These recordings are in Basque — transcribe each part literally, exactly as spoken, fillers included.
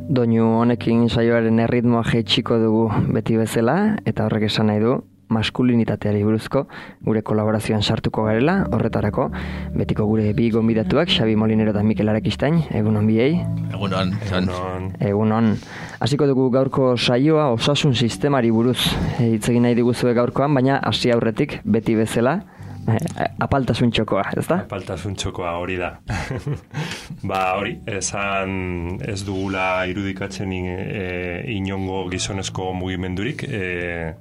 Doinu honekin saioaren erritmoa jaitsiko dugu beti bezala, eta horrek esan nahi du maskulinitateari buruzko gure kolaborazioan sartuko garela, horretarako betiko gure bi gonbidatuak, Xabi Molinero eta Mikel Arakistain, egunon biei. Egunon. Egunon. Egunon. Hasiko dugu gaurko saioa osasun sistemari buruz hitz egin nahi diguzue gaurkoan, baina hasi aurretik beti bezala apaltasun txokoa, ezta? Apaltasun txokoa hori da. Ba hori, esan ez dugula irudikatzen e, inongo gizonezko mugimendurik, e,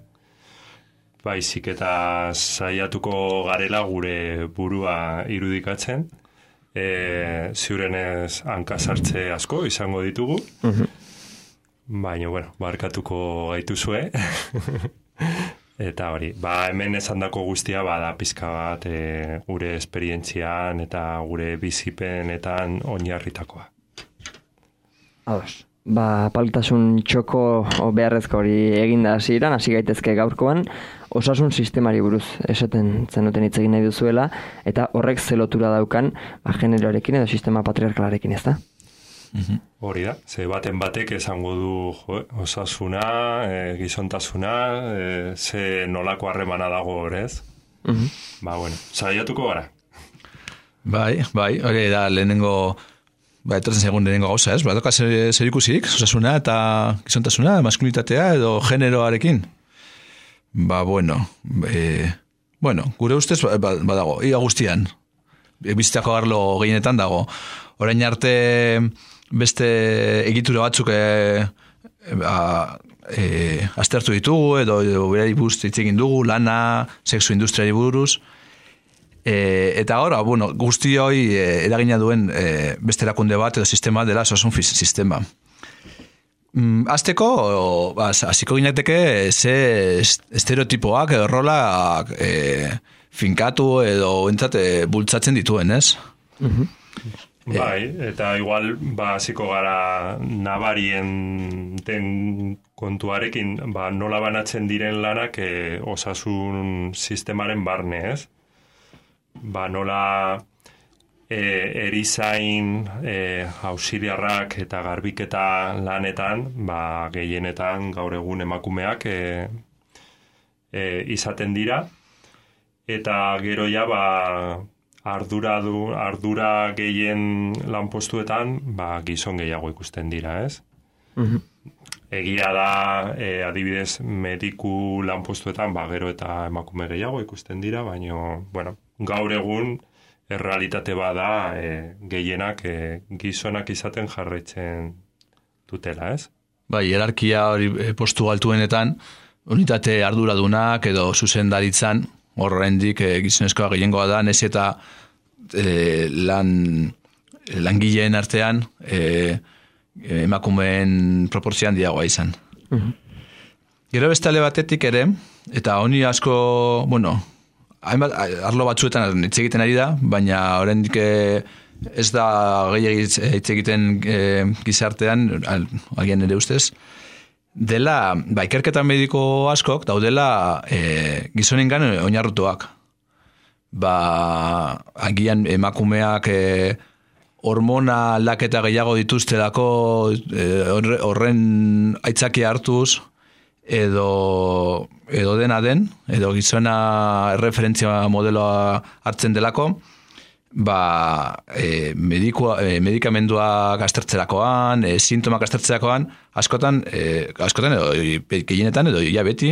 baizik eta saiatuko garela gure burua irudikatzen, e, ziurenez hankasartze asko izango ditugu, uh-huh. Baina, bueno, barkatuko gaituzue. Eta hori, ba hemen esandako guztia bada pizka bat e, gure esperientzian eta gure bizipenetan oinarritakoa. Ados, ba apaltasun txoko beharrezko hori eginda hasieran, hasi gaitezke gaurkoan, osasun sistemari buruz esaten zenuten hitz egin nahi duzuela, eta horrek ze lotura daukan ba, generoarekin edo sistema patriarkalarekin, ezta? Mm-hmm. Hori da, ze baten batek esango du jo, osasuna, e, gizontasuna, e, ze nolako harremana dago horrez. Mm-hmm. Ba, bueno, saiatuko gara. Bai, bai, hori da lehenengo, ba, etortzen segun lehenengo gauza, ez? Ba, doka zer, zer ikusik, osasuna eta gizontasuna, maskulinitatea edo generoarekin. Ba, bueno, e, bueno, gure ustez badago, ia guztian, bizitako arlo gehienetan dago. Orain arte beste egitura batzuk e, a, e, aztertu ditugu edo, edo berari buruz hitz egin dugu, lana, sexu industriari buruz, e, eta ahora, bueno, guzti hori e, eragina duen e, beste erakunde bat edo sistema dela osasun sistema. Mm, azteko, hasiko ginateke ze estereotipoak edo rolak e, finkatu edo entzate bultzatzen dituen, ez? Mhm. Bai, eta igual ba hasiko gara nabarien den kontuarekin, ba nola banatzen diren lanak e, osasun sistemaren barne, ez? Ba nola e, erizain, e, auxiliarrak eta garbiketa lanetan, ba gehienetan gaur egun emakumeak e, e, izaten dira, eta gero ja ba ardura du, ardura gehien lanpostuetan, ba, gizon gehiago ikusten dira, ez? Uh-huh. Egia da, e, adibidez, mediku lanpostuetan, ba, gero eta emakume gehiago ikusten dira, baina, bueno, gaur egun, errealitate bada, e, gehienak e, gizonak izaten jarraitzen dutela, ez? Bai, hierarkia hori postu altuenetan, unitate arduradunak edo zuzendaritzan, horrendik e, gizonezkoa gehiengoa da, nez eta e, lan, langileen artean e, emakumeen proportzioan diagoa izan. Uh-huh. Gero bestale batetik ere, eta honi asko, bueno, hainbat, arlo batzuetan hitz egiten ari da, baina oraindik ez da gehiagitz hitz egiten e, gizartean, agian ere ustez, dela, ba, ikerketa mediko askok daudela e, gizonengan oinarrutuak. Ba, agian emakumeak e, hormona aldaketa gehiago dituztelako e, horren aitzakia hartuz, edo, edo dena den, edo gizona referentzia modeloa hartzen delako, ba, e, medikua, e, medikamenduak aztertzerakoan, e, sintomak aztertzerakoan, askotan, e, askotan edo gehienetan edo ja beti,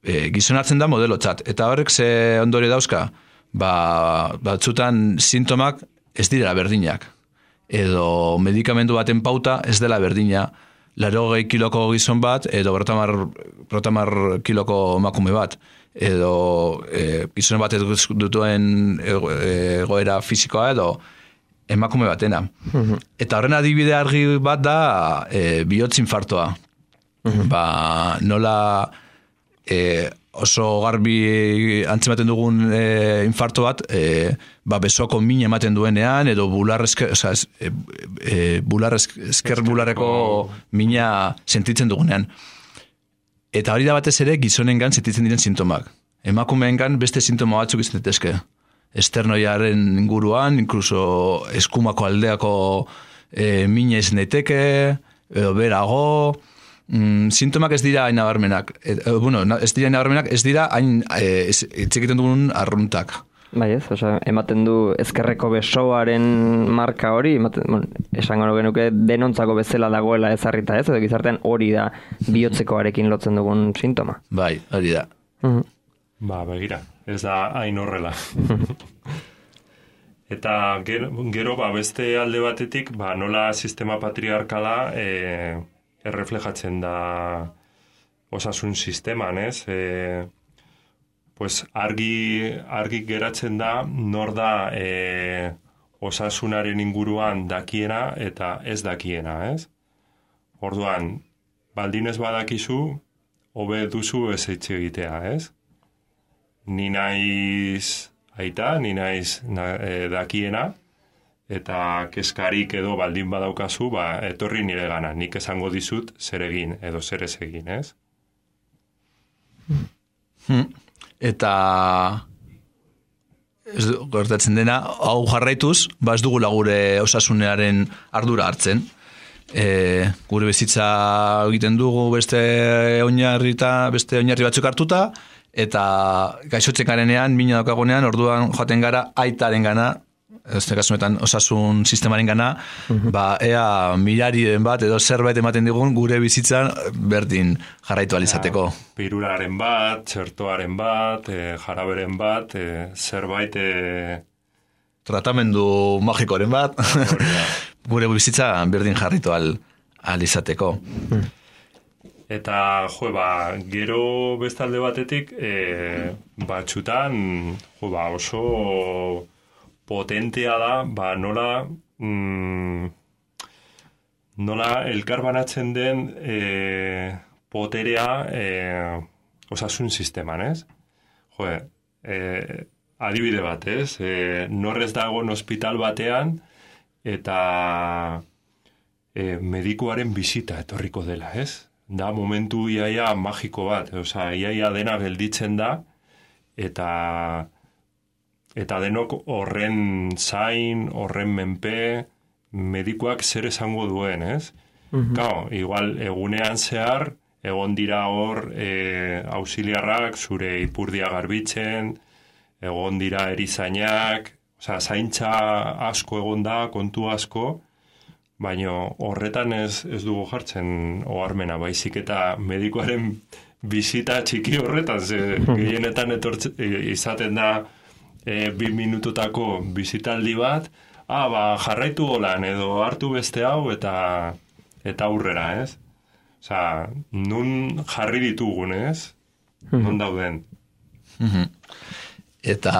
e, gizon hartzen da modelotzat. Eta horrek ze ondorio dauzka, ba, batzutan sintomak ez dira berdinak. Edo medikamendu baten pauta ez dela berdina. Laurogei kiloko gizon bat, edo berrotamar kiloko emakume bat. Edo e, gizon bat dutuen egoera fisikoa edo emakume batena. Uh-huh. Eta horren adibide argi bat da e, bihotz infartoa. Uh-huh. Ba, nola e, oso garbi antzematen dugun e, infarto bat, e, ba, besoko min ematen duenean, edo bular esker, oza, e, e, bular esker, esker bulareko mina sentitzen dugunean. Eta hori da batez ere gizonengan sentitzen diren sintomak. Emakumeengan beste sintoma batzuk izan daitezke. Esternoiaren inguruan, incluso eskumako aldeako e, mina izan daiteke, edo berago, mm, sintomak ez dira hain nabarmenak. E, e, bueno, ez dira hain nabarmenak, ez dira hain e, etxekiten dugun arruntak. Bai ez, osea, ematen du ezkerreko besoaren marka hori, ematen, bueno, esango genuke denontzako bezala dagoela ezarrita ez, edo gizartean hori da bihotzekoarekin lotzen dugun sintoma. Bai, hori da. Uh-huh. Ba, begira, ez da hain horrela. Eta gero, gero ba, beste alde batetik, ba, nola sistema patriarkala e, erreflejatzen da osasun sisteman, ez? E, pues argi, argi geratzen da nor da e, osasunaren inguruan dakiena eta ez dakiena, ez? Orduan, baldin ez badakizu, hobe duzu ez etxe egitea, ez? Ni naiz aita, ni naiz na, e, dakiena, eta keskarik edo baldin badaukazu, ba, etorri nire gana, nik esango dizut zer egin edo zer ez egin, ez? Hmm. Eta ez gertatzen dena, hau jarraituz, ba ez dugula gure osasunearen ardura hartzen. E, gure bizitza egiten dugu beste oinarri eta beste oinarri batzuk hartuta, eta gaixotzen garenean, mina daukagunean, orduan joaten gara aitaren gana, ez kasunetan osasun sistemaren gana, uh-huh. ba, ea milariren bat edo zerbait ematen digun gure bizitzan berdin jarraitu alizateko. Ja, pirularen bat, txertoaren bat, e, jaraberen bat, e, zerbait... E... Tratamendu magikoren bat, gure bizitza berdin jarraitu al, alizateko. Hmm. Eta, jo, ba, gero bestalde batetik, e, batxutan, jo, ba, oso... potentea da, ba, nola mm, nola elkarbanatzen den e, poterea e, osasun sisteman, ez? Jo, e, adibide bat, ez? E, norrez dagoen ospital batean eta e, medikuaren bisita etorriko dela, ez? Da momentu iaia magiko bat, osea, iaia dena gelditzen da eta Eta denok horren zain, horren menpe, medikuak zer esango duen, ez? Uh-huh. Gau, igual egunean zehar, egon dira hor e, auxiliarrak, zure ipurdia garbitzen, egon dira erizainak, osea, zaintza asko egon da, kontu asko, baina horretan ez, ez dugu jartzen oharmena, baizik eta medikuaren bisita txiki horretan, ze gehienetan etortze, izaten da, E, bi minututako bizitaldi bat, ah, ba, jarraitu golan edo hartu beste hau eta eta aurrera, ez? Osea, nun jarri ditugun, ez? Non dauden. Eta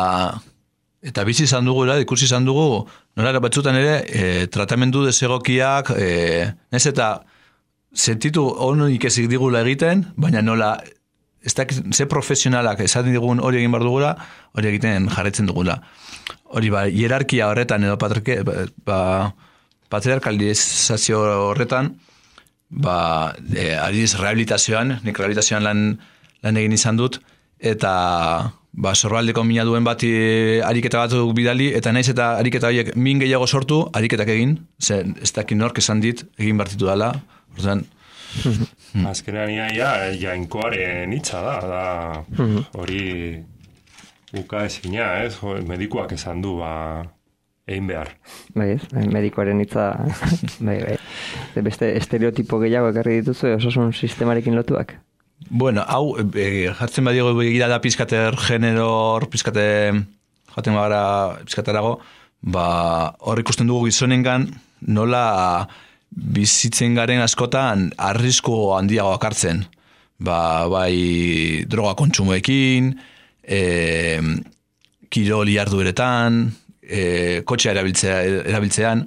eta bizi izan dugu, ikusi izan dugu, nola batzutan ere, e, tratamendu desegokiak, e, ez eta sentitu honik ezik digula egiten, baina nola ez da, ze profesionalak esaten digun hori egin behar dugula, hori egiten jarretzen dugula. Hori ba, hierarkia horretan edo patrike, ba, patriarkalizazio horretan, ba, e, adiz rehabilitazioan, nik rehabilitazioan lan, lan egin izan dut, eta ba, sorbaldeko mina duen bati ariketa batzuk bidali, eta naiz eta ariketa horiek min gehiago sortu, ariketak egin, ze ez dakit nork esan dit, egin bartitu dela, orduan, Hmm. Azkenean ia, ja, jainkoaren hitza da, da hori uka ezina, ez? Medikuak esan du, ba, egin behar. Bai ez, medikoaren hitza, bai, bai. Beste estereotipo gehiago ekarri dituzu, osasun sistemarekin lotuak? Bueno, hau, e, jartzen badiego begira da pizkater generor, pizkate, jaten bagara pizkaterago, ba, hor ikusten dugu gizonengan, nola bizitzen garen askotan arrisku handiagoak hartzen. Ba, bai droga kontsumoekin, e, kiroli jardueretan, e, kotxea erabiltzea, erabiltzean,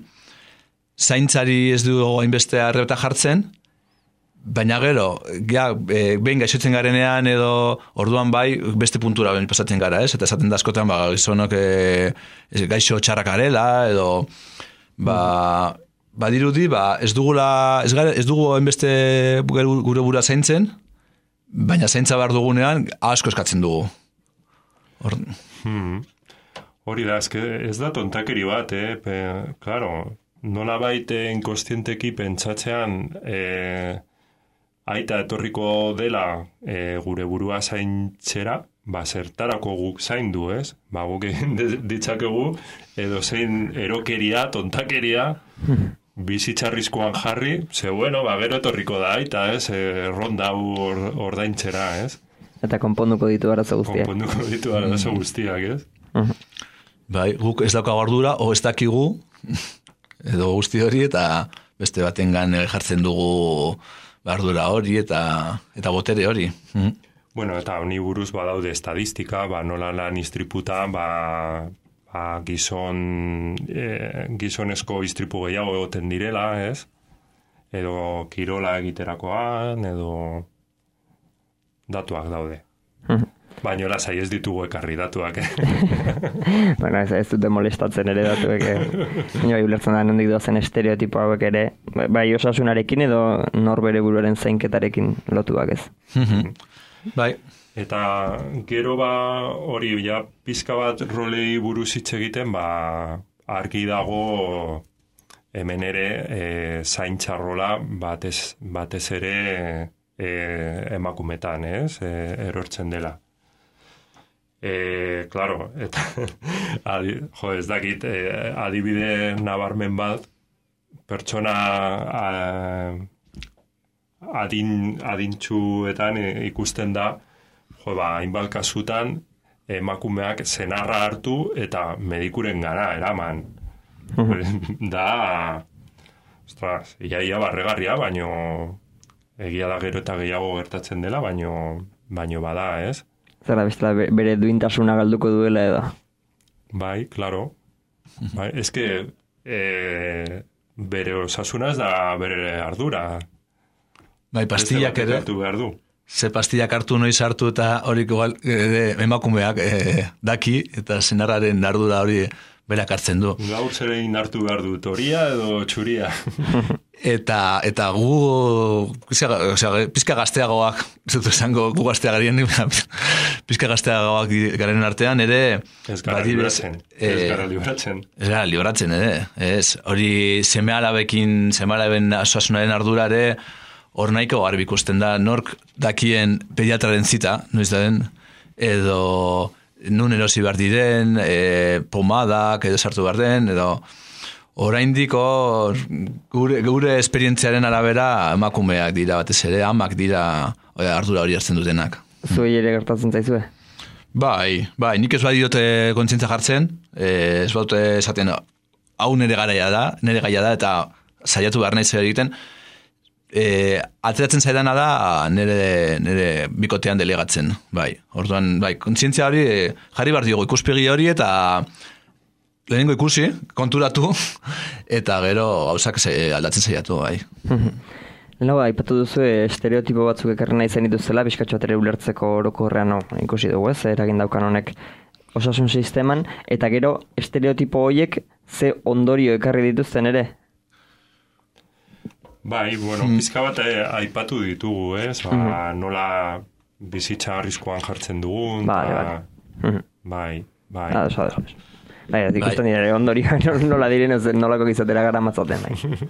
zaintzari ez du hainbeste arrebeta jartzen, baina gero, ja, e, behin gaixotzen garenean edo orduan bai beste puntura ben pasatzen gara, ez? Eta esaten da askotan, ba, gizonok e, gaixo txarrak garela, edo ba, badirudi, ba, ez dugula, ez, gara, ez dugu hainbeste gure bura zaintzen, baina zaintza behar dugunean asko eskatzen dugu. Hor... Hmm. Hori da, ez da tontakeri bat, eh? Pe, claro, nola baite inkostienteki pentsatzean e, aita etorriko dela e, gure burua zaintzera, ba, zertarako guk zaindu, ez? Ba, guk egin ditzakegu edo zein erokeria, tontakeria, bizitzarrizkoan jarri, ze bueno, ba, gero etorriko da aita, ez? E, ronda or, ordaintzera, ez? Eta konponduko ditu arazo guztiak. Konponduko ditu arazo guztiak, ez? Uh-huh. Bai, guk ez daukagu ardura, o ez dakigu, edo guzti hori, eta beste batengan jartzen dugu ardura hori, eta eta botere hori. Mm. Bueno, eta honi buruz badaude estadistika, ba, nola lan istriputa, ba, ba, gizon, e, gizonezko istripu gehiago egoten direla, ez? Edo kirola egiterakoan, edo datuak daude. Baina lasai ez ditugu ekarri datuak, eh? Bueno, ez, ez dute molestatzen ere datuek, eh? Baina bai ulertzen da nondik doazen estereotipo hauek ere, bai osasunarekin edo norbere buruaren zainketarekin lotuak, ez? Bai. Eta gero ba hori ja pizka bat rolei buruz hitz egiten, ba argi dago hemen ere e, zaintxarrola batez, batez ere e, emakumetan, ez? E, erortzen dela. E, claro, eta adi, jo, ez dakit, e, adibide nabarmen bat, pertsona a, adin, adintxuetan e, ikusten da, jo, ba, hainbat kasutan, emakumeak zenarra hartu eta medikuren gara eraman. Da, ostras, iaia barregarria, baino egia da gero eta gehiago gertatzen dela, baino, baino bada, ez? Zara bestela bere duintasuna galduko duela edo. Bai, claro. Bai, eske e, bere osasunaz da bere ardura. Bai, pastillak ere. Behar du. Ze pastillak hartu noiz hartu eta hori emakumeak e, daki eta senarraren ardura hori berak hartzen du. Gaur zerein hartu behar du, toria edo txuria. Eta eta gu osea, pizka gazteagoak, zutu esango gu gazteagarien, pizka gazteagoak garen artean ere ez gara libratzen, ez gara libratzen. Ez gara libratzen ere, ez. Hori seme-alabekin, seme-alaben osasunaren ardura ere hor nahiko garbi ikusten da nork dakien pediatraren zita, noiz da den, edo nun erosi behar diren, e, pomadak edo sartu behar den, edo oraindik hor gure, gure esperientziaren arabera emakumeak dira batez ere, amak dira ardura hori hartzen dutenak. Zuei ere gertatzen zaizue? Bai, bai, nik ez bai diote kontzientza jartzen, eh, ez baute esaten hau nire garaia da, nire gaia da, eta saiatu behar nahi zer egiten, eh, ateratzen zaidana da nire, nire bikotean delegatzen, bai. Orduan, bai, kontzientzia hori jarri behar diogu ikuspegi hori eta lehenengo ikusi, konturatu, eta gero gauzak aldatzen saiatu, bai. Lehenago, aipatu duzu estereotipo batzuk ekarri nahi zen dituzela, bizkatxo atere ulertzeko orokorrean no, ikusi dugu ez, eragin daukan honek osasun sisteman, eta gero estereotipo horiek ze ondorio ekarri dituzten ere? Bai, bueno, pizka bat eh, aipatu ditugu, ez? Ba, mm-hmm. Nola bizitza arriskuan jartzen dugun, bai, ta, bai. Mm-hmm. bai, bai. Ah, eso, eso, eso. Bai, ikusten dira, ondorioa nola diren, nolako gizatera gara matzaten, bai.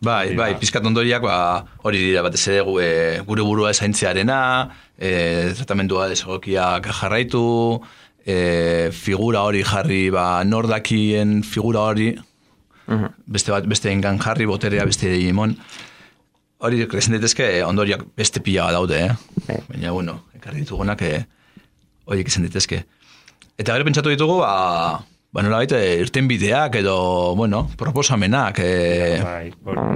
Bai, bai, pizkat ondoriak, ba, hori dira batez ere gure burua esaintzearena, e, tratamendua desegokiak jarraitu, e, figura hori jarri, ba, nordakien figura hori, uh-huh. beste bat, beste engan jarri, boterea beste hegemon. Hori kresen daitezke ondoriak beste pila daude, eh? Hey. Baina, bueno, ekarri ditugunak, e, horiek izan daitezke. Eta gero pentsatu ditugu, ba, ba nola baita, irten bideak edo, bueno, proposamenak. E... Bai,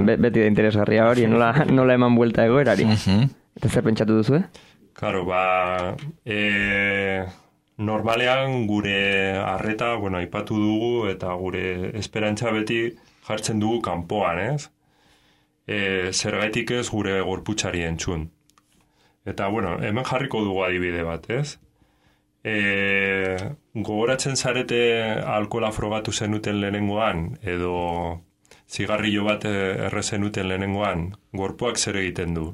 Be, beti da interesgarria hori, nola, nola eman buelta egoerari. Uh-huh. Eta zer pentsatu duzu, eh? Claro, ba, e, normalean gure arreta, bueno, aipatu dugu, eta gure esperantza beti jartzen dugu kanpoan, ez? E, zergaitik ez gure gorputzari entzun. Eta, bueno, hemen jarriko dugu adibide bat, ez? E, gogoratzen zarete alkohola frogatu zenuten lehenengoan edo zigarrillo bat erre zenuten lehenengoan, gorpuak zer egiten du?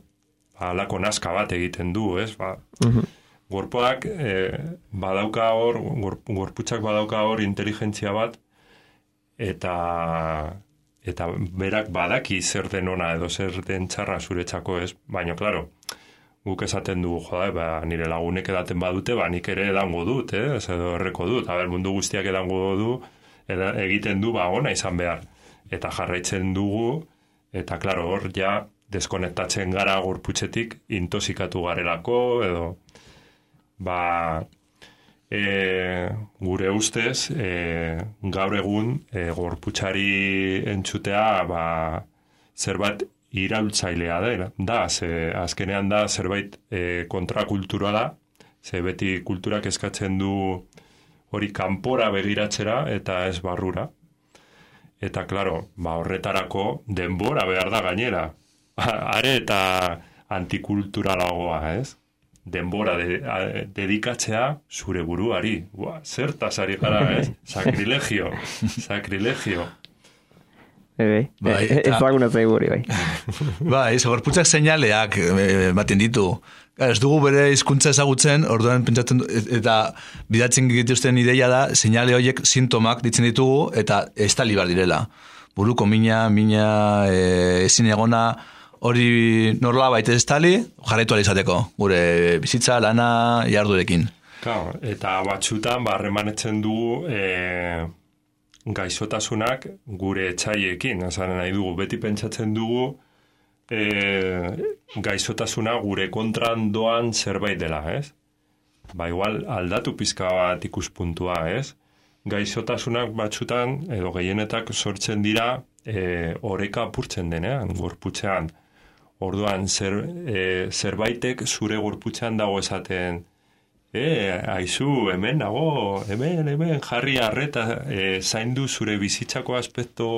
Ba, alako naska bat egiten du, ez? Ba, uh-huh. Gorpuak e, badauka hor, gorp, gorputzak badauka hor inteligentzia bat eta eta berak badaki zer den ona edo zer den txarra zuretzako ez, baina, klaro, guk esaten dugu, joda, ba, nire lagunek edaten badute, ba, nik ere edango dut, eh? Ez edo erreko dut, aber, mundu guztiak edango du, eda, egiten du, ba, ona izan behar. Eta jarraitzen dugu, eta, klaro, hor, ja, deskonektatzen gara gorputzetik, intoxikatu garelako, edo, ba, e, gure ustez, e, gaur egun, e, gorputzari entzutea, ba, zerbait iraultzailea da, da, ze azkenean da zerbait e, kontrakultura da, ze beti kulturak eskatzen du hori kanpora begiratzera eta ez barrura. Eta, klaro, ba, horretarako denbora behar da gainera. Are eta antikulturalagoa, ez? Denbora de, a, dedikatzea zure buruari. Ua, zertaz ari gara, ez? Sakrilegio, sakrilegio. Bai, bai, ez laguna zaiguri, bai. Bai, gorputzak seinaleak ematen ditu. Ez dugu bere hizkuntza ezagutzen, orduan pentsatzen eta bidatzen dituzten ideia da, seinale horiek sintomak ditzen ditugu eta estali bar direla. Buruko mina, mina, e, ezin egona, hori norla baita estali, jarraitu alizateko. Gure bizitza, lana, jardurekin. Claro, eta batxutan, barremanetzen dugu, e, gaixotasunak gure etxaiekin, esan nahi dugu, beti pentsatzen dugu e, gaixotasuna gure kontran doan zerbait dela, ez? Ba, igual aldatu pizka bat ikuspuntua, ez? Gaixotasunak batzutan, edo gehienetak sortzen dira e, oreka apurtzen denean, gorputzean. Orduan, zer, e, zerbaitek zure gorputzean dago esaten, E, aizu, hemen nago, hemen, hemen, jarri arreta, e, zaindu zure bizitzako aspekto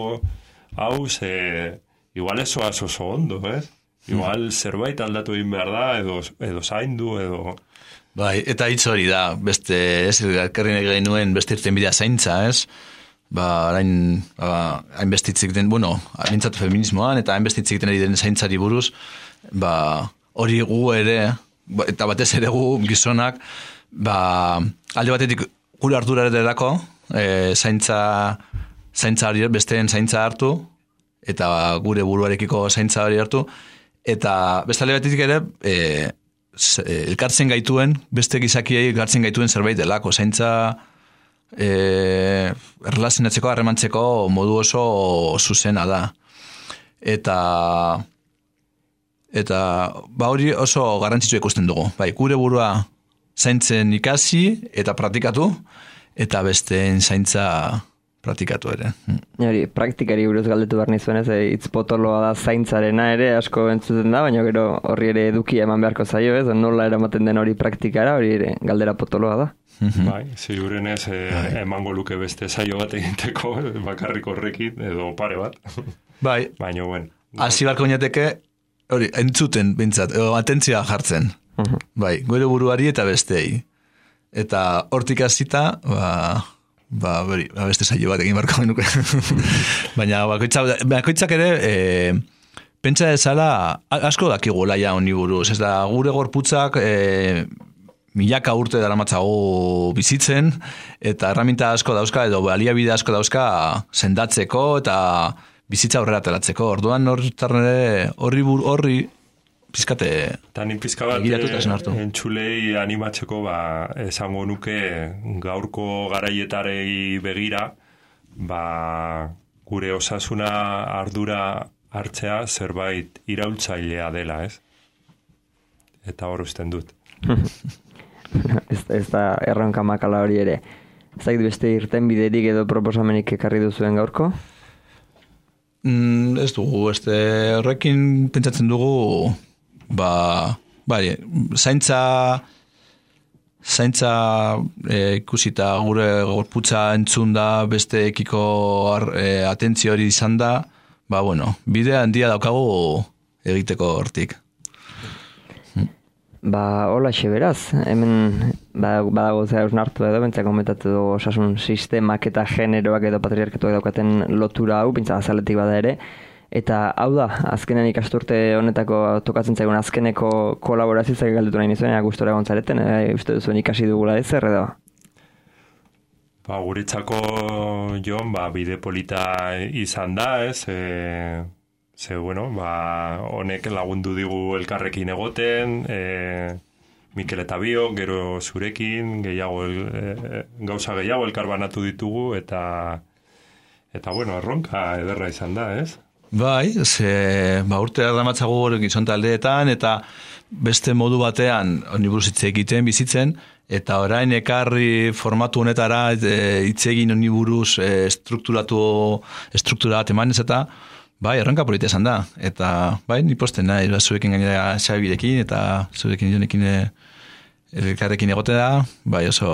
hau, ze, igual eso oso ondo, ez? Igual zerbait aldatu egin behar da, edo, edo zaindu, edo... Bai, eta hitz hori da, beste, ez, elkarri nahi nuen, beste irten bidea zaintza, ez? Ba, hain, ba, hain bestitzik den, bueno, mintzatu feminismoan, eta hain bestitzik den den zaintzari buruz, ba, hori gu ere, eta batez ere gu gizonak, ba, alde batetik gure ardura ederako, e, zaintza, zaintza hori, besteen zaintza hartu, eta gure buruarekiko zaintza hori hartu, eta beste alde batetik ere, e, elkartzen gaituen, beste gizakiei elkartzen gaituen zerbait delako, zaintza e, erlazionatzeko, harremantzeko modu oso zuzena da. Eta... Eta ba hori oso garrantzitsua ikusten dugu. Bai, gure burua zaintzen ikasi eta praktikatu, eta besteen zaintza praktikatu ere. Hori, praktikari buruz galdetu behar nizuen, ez, hitz potoloa da zaintzarena ere, asko entzuten da, baina gero horri ere edukia eman beharko zaio, ez, nola eramaten den hori praktikara, hori ere galdera potoloa da. Bai, ziurenez e, emango luke beste saio bat egiteko, bakarrik horrekin, edo pare bat. Bai, baina, bueno. Hasi barko niateke, hori, entzuten, bintzat, atentzioa jartzen. Uh-huh. Bai, gure buruari eta bestei. Eta hortik hasita, ba, ba, beri, ba, beste saio bat egin barko genuke. Baina, bakoitzak, bakoitzak ere, e, pentsa ezala, asko dakigu laia honi buruz. Ez da, gure gorputzak, e, milaka urte daramatzago bizitzen, eta herramienta asko dauzka, edo baliabide asko dauzka, sendatzeko, eta bizitza aurrera ateratzeko. Orduan horri horri horri pizkate Tani pizka bat entzulei animatzeko, ba, esango nuke gaurko garaietarei begira, ba, gure osasuna ardura hartzea zerbait iraultzailea dela, ez? Eta hor usten dut. ez, ez da erronka makala hori ere. Zait beste irten biderik edo proposamenik ekarri duzuen gaurko? Mm, ez dugu, este horrekin pentsatzen dugu, ba, bai, zaintza, zaintza e, ikusita gure gorputza entzun da, beste ekiko e, atentzio hori izan da, ba, bueno, bide handia daukagu egiteko hortik. Ba, hola beraz, hemen badago zera usnartu edo, bentzak komentatu dugu osasun sistemak eta generoak edo patriarkatuak daukaten lotura hau, bintza azaletik bada ere, eta hau da, azkenen ikasturte honetako tokatzen zaigun azkeneko kolaborazioak galdetu nahi nizuen, gustora gontzareten, e, uste duzuen ikasi dugula ez, zer edo? Ba, guretzako, Jon, ba, bide polita izan da, ez? E, ze, bueno, ba, honek lagundu digu elkarrekin egoten, e, Mikel eta Bio, gero zurekin, gehiago, e, gauza gehiago elkarbanatu ditugu, eta, eta bueno, erronka ederra izan da, ez? Bai, ze, ba, urte erdamatzago hori gizon taldeetan, eta beste modu batean, honi buruz hitz egiten, bizitzen, eta orain ekarri formatu honetara hitz egin honi buruz e, strukturatu, struktura bat emanez eta bai, erronka polita esan da. Eta bai, ni posten nahi, zurekin gainera Xabirekin eta zurekin jonekin elkarrekin egote da, bai oso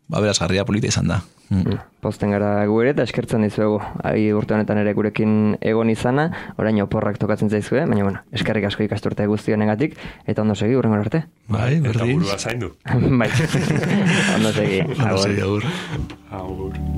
ba, berazgarria polita izan da. Mm. Posten gara gu ere eta eskertzen dizuegu. Ari urte honetan ere gurekin egon izana, orain oporrak tokatzen zaizue, baina bueno, eskerrik asko ikasturte guztionengatik eta ondo segi urrengo arte. Bai, berdin. Eta burua zaindu. Bai. Ondo segi. Ondo segi, agur. Agur.